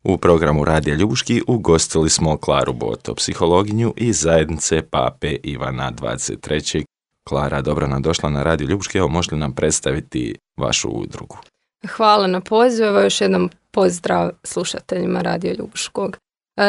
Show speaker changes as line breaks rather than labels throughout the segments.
U programu Radija Ljubuški ugostili smo Klaru Boto, psihologinju iz zajednice Pape Ivana 23. Klara, dobro nam došla na Radio Ljubuški. Evo, možete li nam predstaviti vašu udrugu?
Hvala na pozivu. Evo još jednom pozdrav slušateljima Radio Ljubuškog.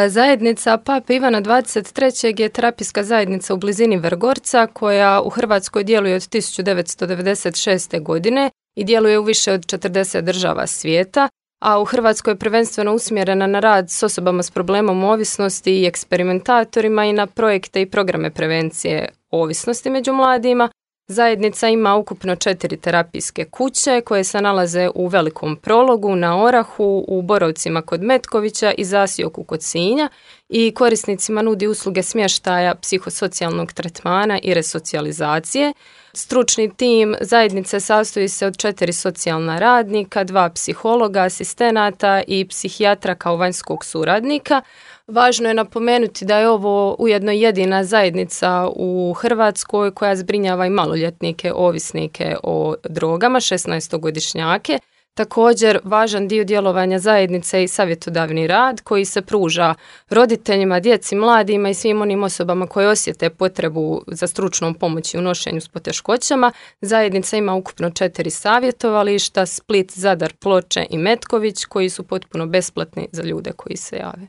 Zajednica Pape Ivana 23. je terapijska zajednica u blizini Vrgorca koja u Hrvatskoj djeluje od 1996. godine i djeluje u više od 40 država svijeta, a u Hrvatskoj je prvenstveno usmjerena na rad s osobama s problemom ovisnosti i eksperimentatorima i na projekte i programe prevencije ovisnosti među mladima. Zajednica ima ukupno 4 terapijske kuće koje se nalaze u Velikom Prologu, na Orahu, u Borovcima kod Metkovića i Zasjoku kod Sinja i korisnicima nudi usluge smještaja, psihosocijalnog tretmana i resocijalizacije. Stručni tim zajednice sastoji se od 4 socijalna radnika, 2 psihologa, asistenata i psihijatra kao vanjskog suradnika. Važno je napomenuti da je ovo ujedno jedina zajednica u Hrvatskoj koja zbrinjava i maloljetnike ovisnike o drogama, 16-godišnjake. Također, važan dio djelovanja zajednice i savjetodavni rad koji se pruža roditeljima, djeci, mladima i svim onim osobama koje osjete potrebu za stručnom pomoći u nošenju s poteškoćama. Zajednica ima ukupno 4 savjetovališta, Split, Zadar, Ploče i Metković, koji su potpuno besplatni za ljude koji se jave.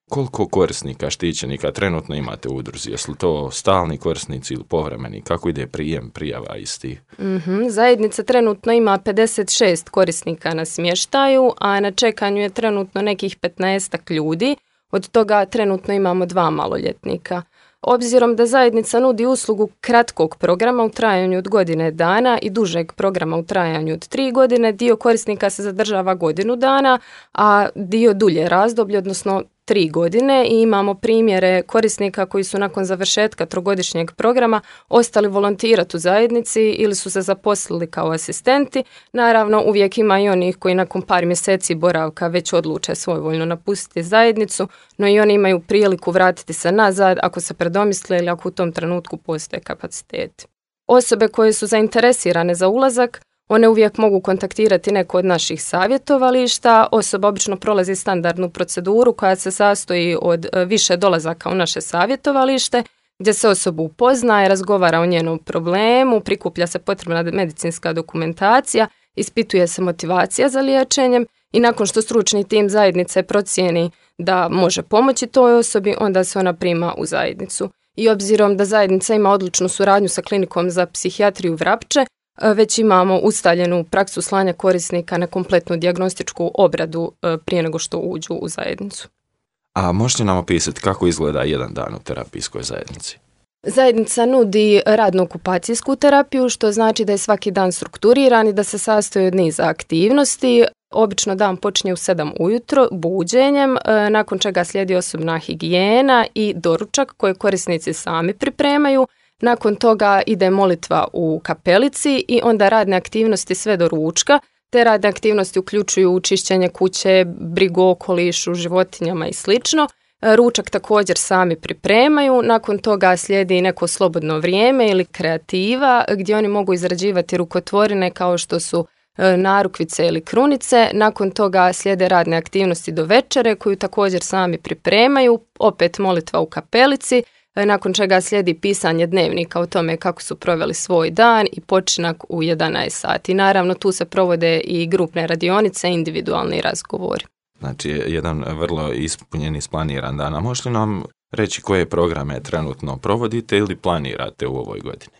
Koliko korisnika, štićenika trenutno imate u udruzi? Jesu li to stalni korisnici ili povremeni? Kako ide prijem prijava istih?
Zajednica trenutno ima 56 korisnika na smještaju, a na čekanju je trenutno nekih 15 ljudi. Od toga trenutno imamo 2 maloljetnika. Obzirom da zajednica nudi uslugu kratkog programa u trajanju od godine dana i dužeg programa u trajanju od 3 godine, dio korisnika se zadržava godinu dana, a dio dulje razdoblje, odnosno 3 godine, i imamo primjere korisnika koji su nakon završetka 3-godišnjeg programa ostali volontirati u zajednici ili su se zaposlili kao asistenti. Naravno, uvijek ima i onih koji nakon par mjeseci boravka već odluče svojevoljno napustiti zajednicu, no i oni imaju priliku vratiti se nazad ako se predomisle ili ako u tom trenutku postoje kapaciteti. Osobe koje su zainteresirane za ulazak, one uvijek mogu kontaktirati neko od naših savjetovališta. Osoba obično prolazi standardnu proceduru koja se sastoji od više dolazaka u naše savjetovalište, gdje se osobu upoznaje, razgovara o njenom problemu, prikuplja se potrebna medicinska dokumentacija, ispituje se motivacija za liječenjem i nakon što stručni tim zajednice procijeni da može pomoći toj osobi, onda se ona prima u zajednicu. I obzirom da zajednica ima odličnu suradnju sa klinikom za psihijatriju Vrapče, već imamo ustaljenu praksu slanja korisnika na kompletnu dijagnostičku obradu prije nego što uđu u zajednicu.
A možete nam opisati kako izgleda jedan dan u terapijskoj zajednici?
Zajednica nudi radno-okupacijsku terapiju, što znači da je svaki dan strukturiran i da se sastoji od niza aktivnosti. Obično dan počinje u 7 ujutro buđenjem, nakon čega slijedi osobna higijena i doručak koje korisnici sami pripremaju. Nakon toga ide molitva u kapelici i onda radne aktivnosti sve do ručka. Te radne aktivnosti uključuju čišćenje kuće, brigu o okolišu, životinjama i sl. Ručak također sami pripremaju. Nakon toga slijedi neko slobodno vrijeme ili kreativa gdje oni mogu izrađivati rukotvorine kao što su narukvice ili krunice. Nakon toga slijede radne aktivnosti do večere koju također sami pripremaju. Opet molitva u kapelici. Nakon čega slijedi pisanje dnevnika o tome kako su proveli svoj dan i počinak u 11 sati. Naravno, tu se provode i grupne radionice, individualni razgovori.
Znači, jedan vrlo ispunjen i isplaniran dan. A možete nam reći koje programe trenutno provodite ili planirate u ovoj godini?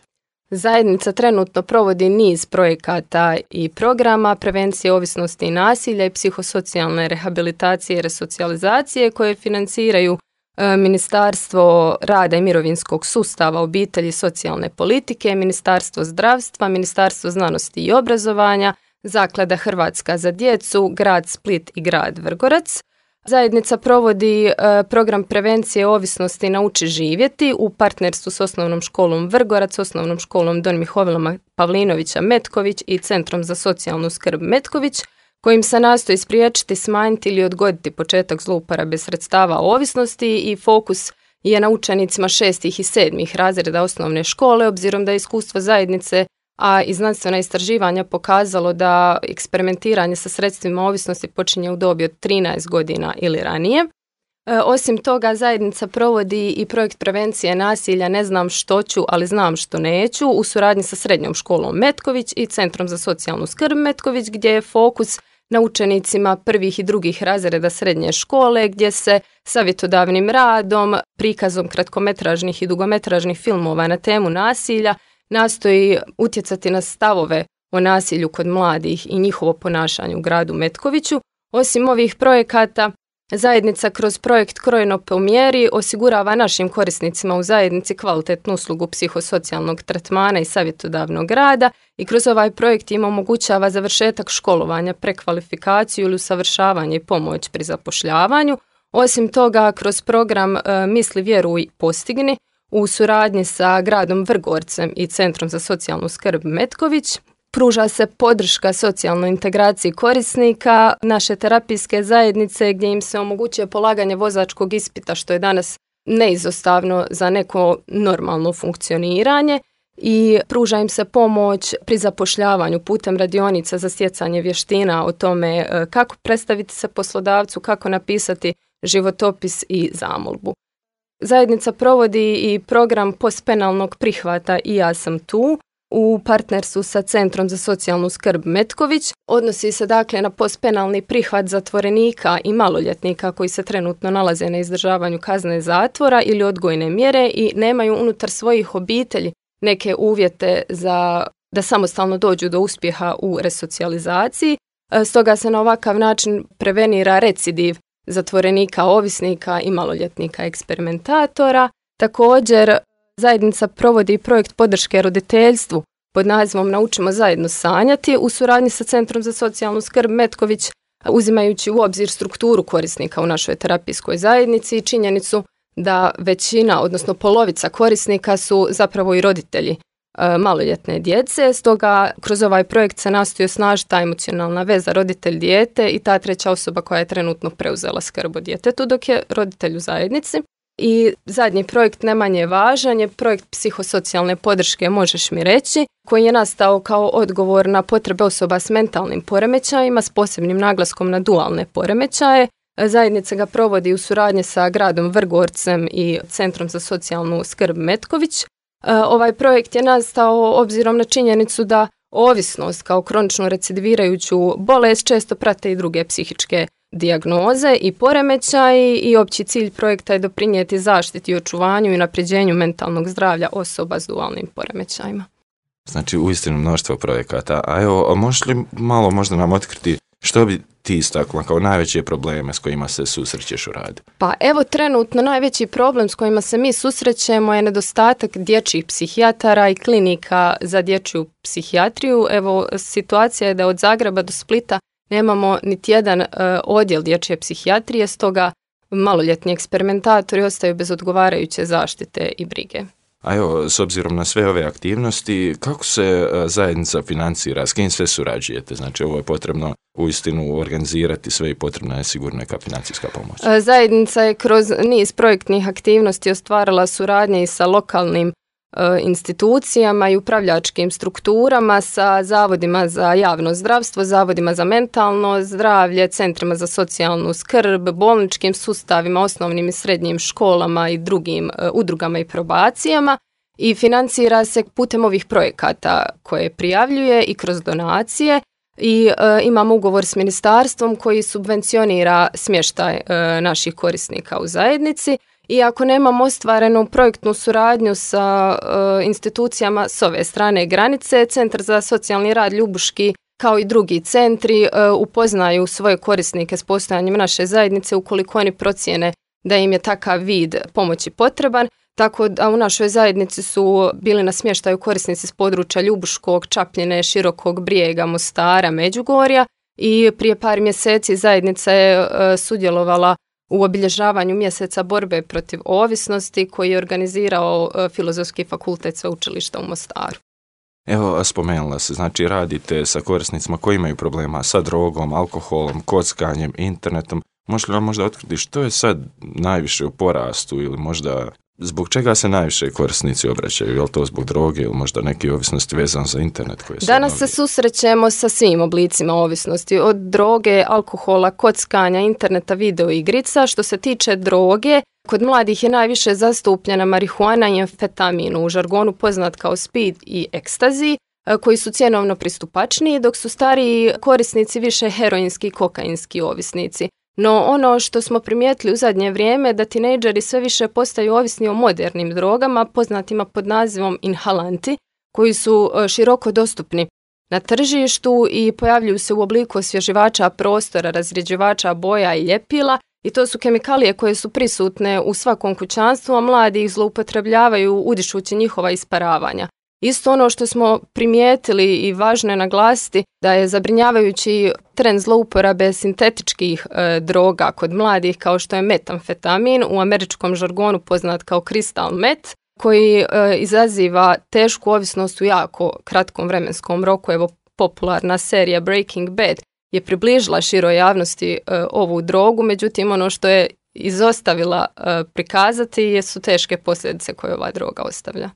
Zajednica trenutno provodi niz projekata i programa prevencije ovisnosti i nasilja i psihosocijalne rehabilitacije i resocijalizacije koje financiraju Ministarstvo rada i mirovinskog sustava, obitelji i socijalne politike, Ministarstvo zdravstva, Ministarstvo znanosti i obrazovanja, Zaklada Hrvatska za djecu, grad Split i grad Vrgorac. Zajednica provodi program prevencije ovisnosti Nauči živjeti u partnerstvu s Osnovnom školom Vrgorac, Osnovnom školom Don Mihovila Pavlinovića Metković i Centrom za socijalnu skrb Metković, kojim se nastoji spriječiti, smanjiti ili odgoditi početak zlouporabe sredstava ovisnosti i fokus je na učenicima 6. i 7. razreda osnovne škole, obzirom da je iskustvo zajednice a i znanstvena istraživanja pokazalo da eksperimentiranje sa sredstvima ovisnosti počinje u dobi od 13 godina ili ranije. Osim toga, zajednica provodi i projekt prevencije nasilja Ne znam što ću, ali znam što neću u suradnji sa Srednjom školom Metković i Centrom za socijalnu skrb Metković, gdje je fokus na učenicima prvih i drugih razreda srednje škole, gdje se savjetodavnim radom, prikazom kratkometražnih i dugometražnih filmova na temu nasilja nastoji utjecati na stavove o nasilju kod mladih i njihovo ponašanje u gradu Metkoviću. Osim ovih projekata, zajednica kroz projekt Krojeno po mjeri osigurava našim korisnicima u zajednici kvalitetnu uslugu psihosocijalnog tretmana i savjetodavnog rada i kroz ovaj projekt im omogućava završetak školovanja, prekvalifikaciju ili usavršavanje i pomoć pri zapošljavanju. Osim toga, kroz program Misli, vjeruj, postigni u suradnji sa gradom Vrgorcem i Centrom za socijalnu skrb Metković pruža se podrška socijalnoj integraciji korisnika naše terapijske zajednice, gdje im se omogućuje polaganje vozačkog ispita, što je danas neizostavno za neko normalno funkcioniranje, i pruža im se pomoć pri zapošljavanju putem radionica za stjecanje vještina o tome kako predstaviti se poslodavcu, kako napisati životopis i zamolbu. Zajednica provodi i program postpenalnog prihvata I ja sam tu u partnerstvu sa Centrom za socijalnu skrb Metković. Odnosi se dakle na postpenalni prihvat zatvorenika i maloljetnika koji se trenutno nalaze na izdržavanju kazne zatvora ili odgojne mjere i nemaju unutar svojih obitelji neke uvjete da samostalno dođu do uspjeha u resocijalizaciji. Stoga se na ovakav način prevenira recidiv zatvorenika, ovisnika i maloljetnika eksperimentatora. Također, zajednica provodi projekt podrške roditeljstvu pod nazivom Naučimo zajedno sanjati u suradnji sa Centrom za socijalnu skrb Metković, uzimajući u obzir strukturu korisnika u našoj terapijskoj zajednici i činjenicu da većina, odnosno polovica korisnika su zapravo i roditelji maloljetne djece. Stoga kroz ovaj projekt se nastoji osnažiti ta emocionalna veza roditelj-dijete i ta treća osoba koja je trenutno preuzela skrb o djetetu dok je roditelj u zajednici. I zadnji projekt, ne manje važan, je projekt psihosocijalne podrške Možeš mi reći, koji je nastao kao odgovor na potrebe osoba s mentalnim poremećajima s posebnim naglaskom na dualne poremećaje. Zajednica ga provodi u suradnji sa gradom Vrgorcem i Centrom za socijalnu skrb Metković. Ovaj projekt je nastao obzirom na činjenicu da ovisnost kao kronično recidivirajuću bolest često prate i druge psihičke dijagnoze i poremećaji i opći cilj projekta je doprinijeti zaštiti i očuvanju i unapređenju mentalnog zdravlja osoba s dualnim poremećajima.
Znači, uistinu mnoštvo projekata. A evo, možeš li malo možda nam otkriti što bi ti istakla kao najveće probleme s kojima se susrećeš u radu?
Pa evo, trenutno najveći problem s kojima se mi susrećemo je nedostatak dječjih psihijatara i klinika za dječju psihijatriju. Evo, situacija je da od Zagreba do Splita nemamo niti jedan odjel dječje psihijatrije, stoga maloljetni eksperimentatori ostaju bez odgovarajuće zaštite i brige.
A evo, s obzirom na sve ove aktivnosti, kako se zajednica financira, s kim sve surađujete? Znači, ovo je potrebno uistinu organizirati sve i potrebna je sigurno neka financijska pomoć.
Zajednica je kroz niz projektnih aktivnosti ostvarila suradnje i sa lokalnim institucijama i upravljačkim strukturama, sa zavodima za javno zdravstvo, zavodima za mentalno zdravlje, centrima za socijalnu skrb, bolničkim sustavima, osnovnim i srednjim školama i drugim udrugama i probacijama i financira se putem ovih projekata koje prijavljuje i kroz donacije i imamo ugovor s ministarstvom koji subvencionira smještaj naših korisnika u zajednici. I ako nemamo ostvarenu projektnu suradnju sa institucijama s ove strane granice, Centar za socijalni rad Ljubuški kao i drugi centri upoznaju svoje korisnike s postojanjem naše zajednice ukoliko oni procijene da im je takav vid pomoći potreban. Tako da u našoj zajednici su bili na smještaju korisnici s područja Ljubuškog, Čapljine, Širokog Brijega, Mostara, Međugorja i prije par mjeseci zajednica je sudjelovala u obilježavanju mjeseca borbe protiv ovisnosti koji je organizirao Filozofski fakultet Sveučilišta u Mostaru.
Evo, spomenula se, znači radite sa korisnicima koji imaju problema sa drogom, alkoholom, kockanjem, internetom. Možete li vam možda otkriti što je sad najviše u porastu ili možda Zbog čega se najviše korisnici obraćaju? Je li to zbog droge ili možda neke ovisnosti vezane za internet?
Danas se susrećemo sa svim oblicima ovisnosti, od droge, alkohola, kockanja, interneta, video igrica. Što se tiče droge, kod mladih je najviše zastupljena marihuana i amfetamin, u žargonu poznat kao speed i ekstazi, koji su cjenovno pristupačniji, dok su stariji korisnici više heroinski i kokainski ovisnici. No ono što smo primijetili u zadnje vrijeme da tinejdžeri sve više postaju ovisni o modernim drogama, poznatima pod nazivom inhalanti, koji su široko dostupni na tržištu i pojavljuju se u obliku osvježivača prostora, razrjeđivača boja i ljepila, i to su kemikalije koje su prisutne u svakom kućanstvu, a mladi ih zloupotrebljavaju udišući njihova isparavanja. Isto ono što smo primijetili i važno je naglasiti da je zabrinjavajući trend zlouporabe sintetičkih droga kod mladih, kao što je metamfetamin, u američkom žargonu poznat kao crystal meth, koji izaziva tešku ovisnost u jako kratkom vremenskom roku. Evo, popularna serija Breaking Bad je približila široj javnosti ovu drogu, međutim ono što je izostavila prikazati su teške posljedice koje ova droga ostavlja.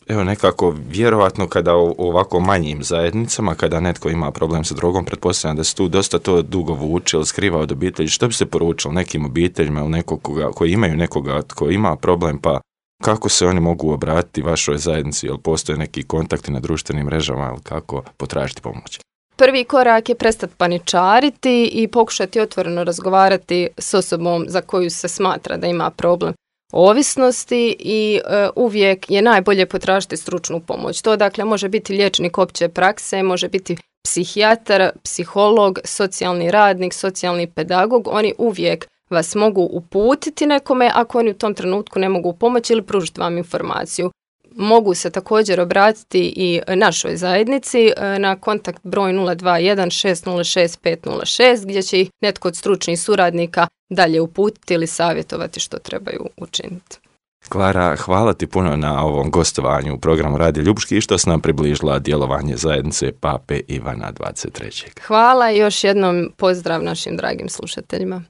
Evo, nekako vjerovatno kada u ovako manjim zajednicama, kada netko ima problem sa drogom, pretpostavljam da se tu dosta to dugo vuče ili skriva od obitelji. Što bi se poručilo nekim obiteljima ili nekoga koji imaju nekoga tko ima problem, pa kako se oni mogu obratiti vašoj zajednici, ili postoje neki kontakti na društvenim mrežama, ili kako potražiti pomoć?
Prvi korak je prestati paničariti i pokušati otvoreno razgovarati s osobom za koju se smatra da ima problem ovisnosti i uvijek je najbolje potražiti stručnu pomoć. To dakle može biti liječnik opće prakse, može biti psihijatar, psiholog, socijalni radnik, socijalni pedagog. Oni uvijek vas mogu uputiti nekome ako oni u tom trenutku ne mogu pomoći ili pružiti vam informaciju. Mogu se također obratiti i našoj zajednici na kontakt broj 021 606 506 gdje će ih netko od stručnih suradnika dalje uputiti ili savjetovati što trebaju učiniti.
Klara, hvala ti puno na ovom gostovanju u programu Radio Ljubuški i što si nam približila djelovanje zajednice Pape Ivana 23.
Hvala i još jednom pozdrav našim dragim slušateljima.